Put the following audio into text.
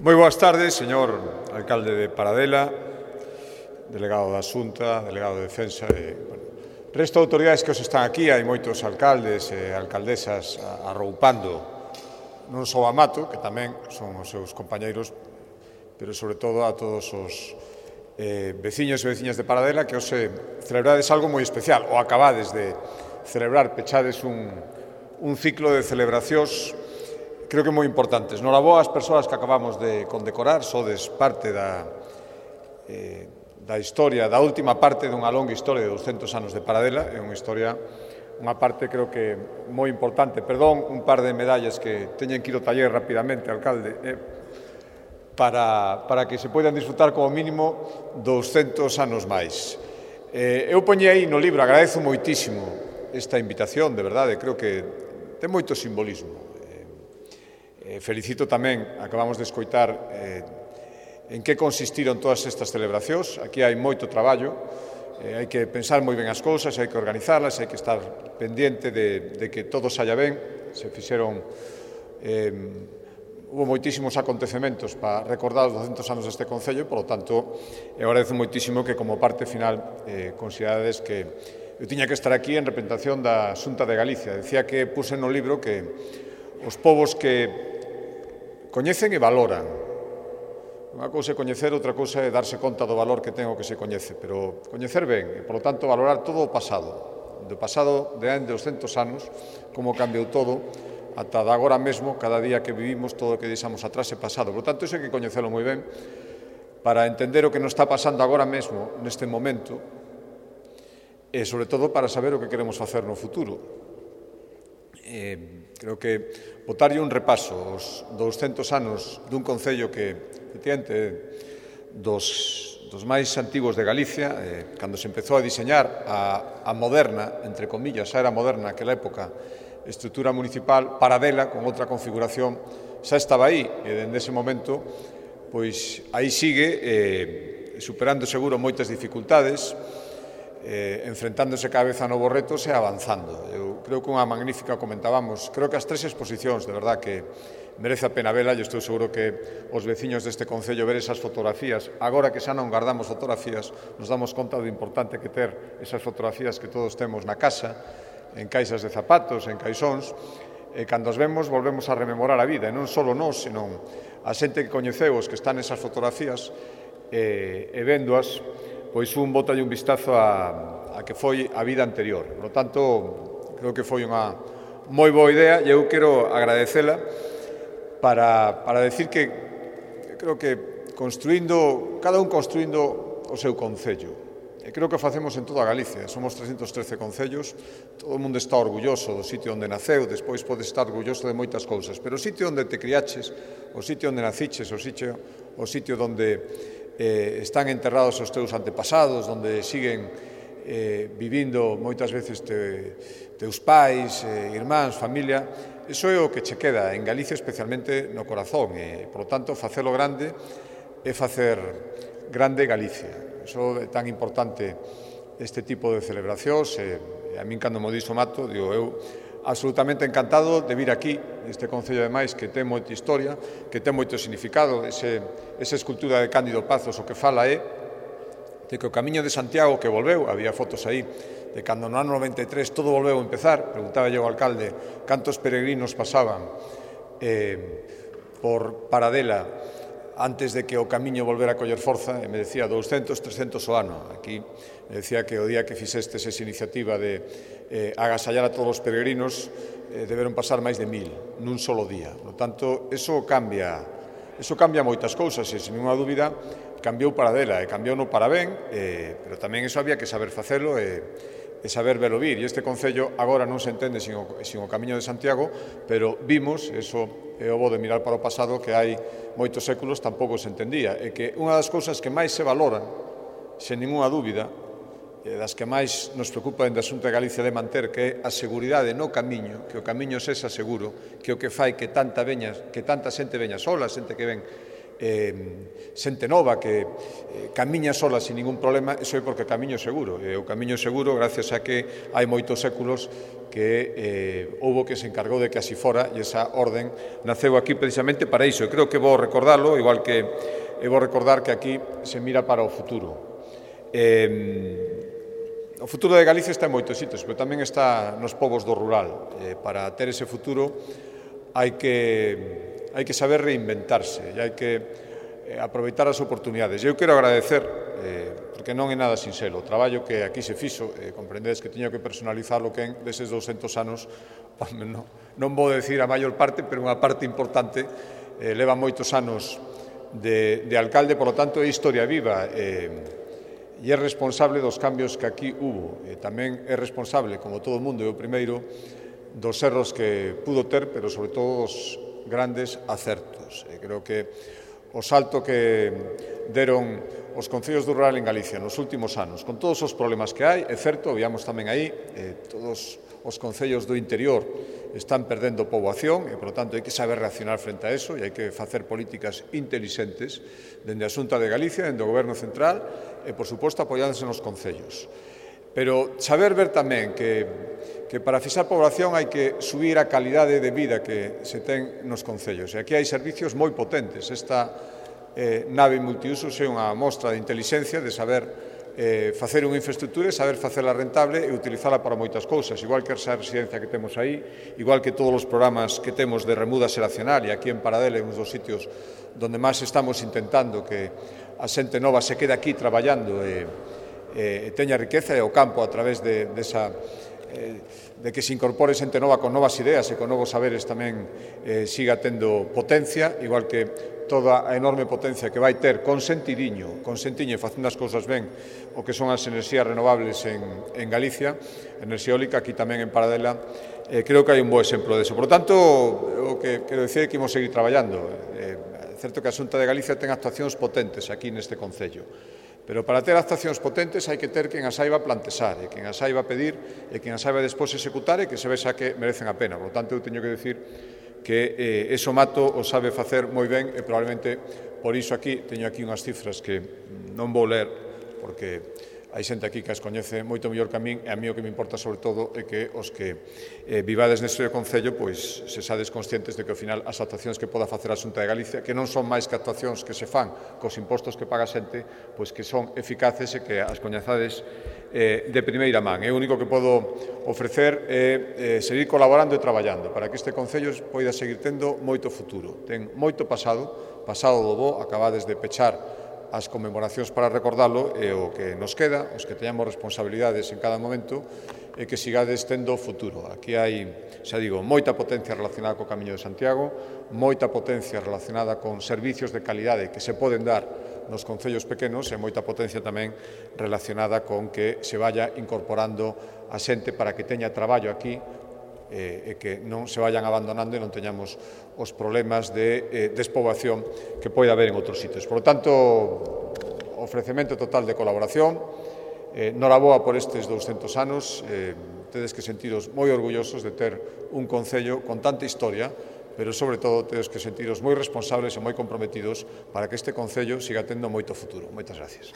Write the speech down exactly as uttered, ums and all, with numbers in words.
Moi boas tardes, señor alcalde de Paradela, delegado da Xunta, delegado de Defensa e, bueno, resto de autoridades que os están aquí. Hai moitos alcaldes e alcaldesas arroupando non só a Mato, que tamén son os seus compañeiros, pero sobre todo a todos os eh, veciños e veciñas de Paradela que hoxe celebrades algo moi especial, ou acabades de celebrar, pechades un, un ciclo de celebracións creo que moi importantes. Noraboa as persoas que acabamos de condecorar, sodes parte da, eh, da historia, da última parte dunha longa historia de douscentos anos de Paradela. É unha historia, unha parte creo que moi importante. Perdón, un par de medallas que teñen que ir ao taller rapidamente, alcalde, eh, para, para que se poidan disfrutar como mínimo douscentos anos máis. Eh, eu poñei aí no libro, agradezo moitísimo esta invitación, de verdade, creo que ten moito simbolismo. Eh, felicito tamén, acabamos de escoitar eh, en que consistiron todas estas celebracións. Aquí hai moito traballo, eh, hai que pensar moi ben as cousas, hai que organizarlas, hai que estar pendiente de, de que todo saia ben. Se fixeron, eh, hubo moitísimos acontecementos para recordar os douscentos anos deste Concello, e, polo tanto, eu agradezo moitísimo que como parte final eh, considerades que eu tiña que estar aquí en representación da Xunta de Galicia. Decía que puse no libro que os povos que coñecen e valoran. Unha cousa é coñecer, outra cousa é darse conta do valor que ten o que se coñece, pero coñecer ben e, polo tanto, valorar todo o pasado. Do pasado de hai douscentos anos, como cambiou todo, ata de agora mesmo, cada día que vivimos, todo o que deixamos atrás é pasado. Por tanto, iso hai que coñecelo moi ben para entender o que nos está pasando agora mesmo, neste momento, e, sobre todo, para saber o que queremos facer no futuro. Eh, creo que botarlle un repaso aos douscentos anos dun Concello que, efectivamente, dos, dos máis antigos de Galicia, eh, cando se empezou a diseñar a, a moderna, entre comillas, xa era moderna aquela época, estrutura municipal, Paradela, con outra configuración, xa estaba aí, e dende ese momento, pois aí sigue, eh, superando seguro moitas dificultades, Eh, enfrentándose cada vez a novos retos e avanzando. Eu creo que unha magnífica, comentábamos, creo que as tres exposicións, de verdad, que merece a pena vela. Eu estou seguro que os veciños deste Concello ver esas fotografías, agora que xa non guardamos fotografías, nos damos conta do importante que ter esas fotografías que todos temos na casa, en caixas de zapatos, en caixóns, e cando as vemos volvemos a rememorar a vida, e non só nós, senón a xente que coñeceu os que están nesas fotografías, e, e véndoas, pois un botalle un vistazo a, a que foi a vida anterior. Por lo tanto, creo que foi unha moi boa idea e eu quero agradecela para, para decir que creo que construindo, cada un construindo o seu concello. E creo que o facemos en toda Galicia. Somos trescentos trece concellos, todo o mundo está orgulloso do sitio onde naceu, despois podes estar orgulloso de moitas cousas, pero o sitio onde te criaches, o sitio onde naciches, o sitio, o sitio onde Eh, están enterrados os teus antepasados, onde siguen eh, vivindo moitas veces te, teus pais, eh, irmáns, familia. Iso é o que che queda en Galicia, especialmente no corazón, e, por lo tanto, facelo grande é facer grande Galicia. Iso é tan importante este tipo de celebracións, e, e a min, cando mo dixo Mato, digo, eu absolutamente encantado de vir aquí, este Concello, ademais, que ten moita historia, que ten moito significado. Ese, esa escultura de Cándido Pazos o que fala é de que o Camiño de Santiago que volveu, había fotos aí, de cando no ano noventa e tres todo volveu a empezar. Preguntaba yo ao alcalde cantos peregrinos pasaban eh, por Paradela antes de que o camiño volvera a coller forza, e me decía douscentos, trescentos o ano. Aquí me decía que o día que fixestes esa iniciativa de eh, agasallar a todos os peregrinos, eh, deberon pasar máis de mil nun solo día. Por tanto, eso cambia, eso cambia moitas cousas, e, sin ninguna dúbida, cambiou Paradela, e cambiou no para ben, eh, pero tamén eso había que saber facelo e, e saber velo vir. E este Concello agora non se entende sin o, sin o Camiño de Santiago, pero vimos, eso é o bo de mirar para o pasado, que hai moitos séculos tampouco se entendía, e que unha das cousas que máis se valoran, sen ninguna dúbida, e das que máis nos preocupa dentro da Xunta de Galicia de manter, que é a seguridade no camiño, que o camiño sexa seguro, que o que fai que tanta veña, que tanta xente veña sola, xente que ven eh, xente nova que eh, camiña sola sin ningún problema, iso é porque camiño seguro. E o camiño seguro gracias a que hai moitos séculos que eh, houbo que se encargou de que así fora, e esa orden naceu aquí precisamente para iso. E creo que vou recordarlo, igual que e vou recordar que aquí se mira para o futuro. Eh, o futuro de Galicia está en moitos sitios, pero tamén está nos povos do rural. Eh, para ter ese futuro hai que, hai que saber reinventarse e hai que eh, aproveitar as oportunidades. Eu quero agradecer, eh, porque non é nada sinxelo, o traballo que aquí se fixo, eh, comprendedes que tiño que personalizarlo que en deses douscentos anos, non, non vou decir a maior parte, pero unha parte importante, eh, leva moitos anos de, de alcalde, por lo tanto é historia viva, eh, e é responsable dos cambios que aquí hubo. E tamén é responsable, como todo o mundo, e o primeiro, dos erros que pudo ter, pero sobre todo dos grandes acertos. E creo que o salto que deron os concellos do rural en Galicia nos últimos anos, con todos os problemas que hai, é certo, veamos tamén aí, eh, todos os concellos do interior están perdendo poboación e, por lo tanto, hai que saber reaccionar frente a eso e hai que facer políticas intelixentes dende a Xunta de Galicia, dende o Goberno Central e, por suposto, apoiándose nos concellos. Pero saber ver tamén que, que para fixar poboación hai que subir a calidade de vida que se ten nos concellos. E aquí hai servicios moi potentes. Esta eh, nave multiusos é unha mostra de intelixencia, de saber Eh, facer unha infraestructura e saber facela rentable e utilizala para moitas cousas, igual que esa residencia que temos aí, igual que todos os programas que temos de remuda xeracional, e aquí en Paradela é un dos sitios donde máis estamos intentando que a xente nova se quede aquí traballando e, e teña riqueza e o campo a través de, de esa eh, de que se incorpore xente nova con novas ideas e con novos saberes tamén eh, siga tendo potencia, igual que toda a enorme potencia que vai ter con sentidiño, con sentiño e facendo as cousas ben, o que son as enerxías renovables en, en Galicia, enerxía eólica, aquí tamén en Paradela, eh, creo que hai un bo exemplo deso. Por lo tanto, o que quero dicir é que imos seguir traballando. É eh, certo que a Xunta de Galicia ten actuacións potentes aquí neste concello, pero para ter actuacións potentes hai que ter quen as saiba plantexar, e quen as saiba pedir, e quen as saiba despois executar, e que se vexa que merecen a pena. Por lo tanto, eu teño que decir que eh, eso Mato o sabe facer moi ben e probablemente por iso aquí teño aquí unhas cifras que non vou ler porque hai xente aquí que as coñece moito mellor que a min e a mí o que me importa sobre todo é que os que eh, vivades neste concello pois se sades conscientes de que ao final as actuacións que poda facer a Xunta de Galicia que non son máis que actuacións que se fan cos impostos que paga a xente pois que son eficaces e que as coñezades Eh, de primeira man. É o único que podo ofrecer é eh, seguir colaborando e traballando para que este concello poida seguir tendo moito futuro. Ten moito pasado, pasado do bo, acabades de pechar as conmemoracións para recordalo e o que nos queda, os que teñamos responsabilidades en cada momento, é que sigades tendo futuro. Aquí hai, xa digo, moita potencia relacionada co Camiño de Santiago, moita potencia relacionada con servicios de calidade que se poden dar nos concellos pequenos e moita potencia tamén relacionada con que se vaya incorporando a xente para que teña traballo aquí e que non se vayan abandonando e non teñamos os problemas de despoboación que pode haber en outros sitios. Por lo tanto, ofrecemento total de colaboración, noraboa por estes douscentos anos, tedes que sentiros moi orgullosos de ter un concello con tanta historia, pero sobre todo tedes que sentiros moi responsables e moi comprometidos para que este concello siga tendo moito futuro. Moitas gracias.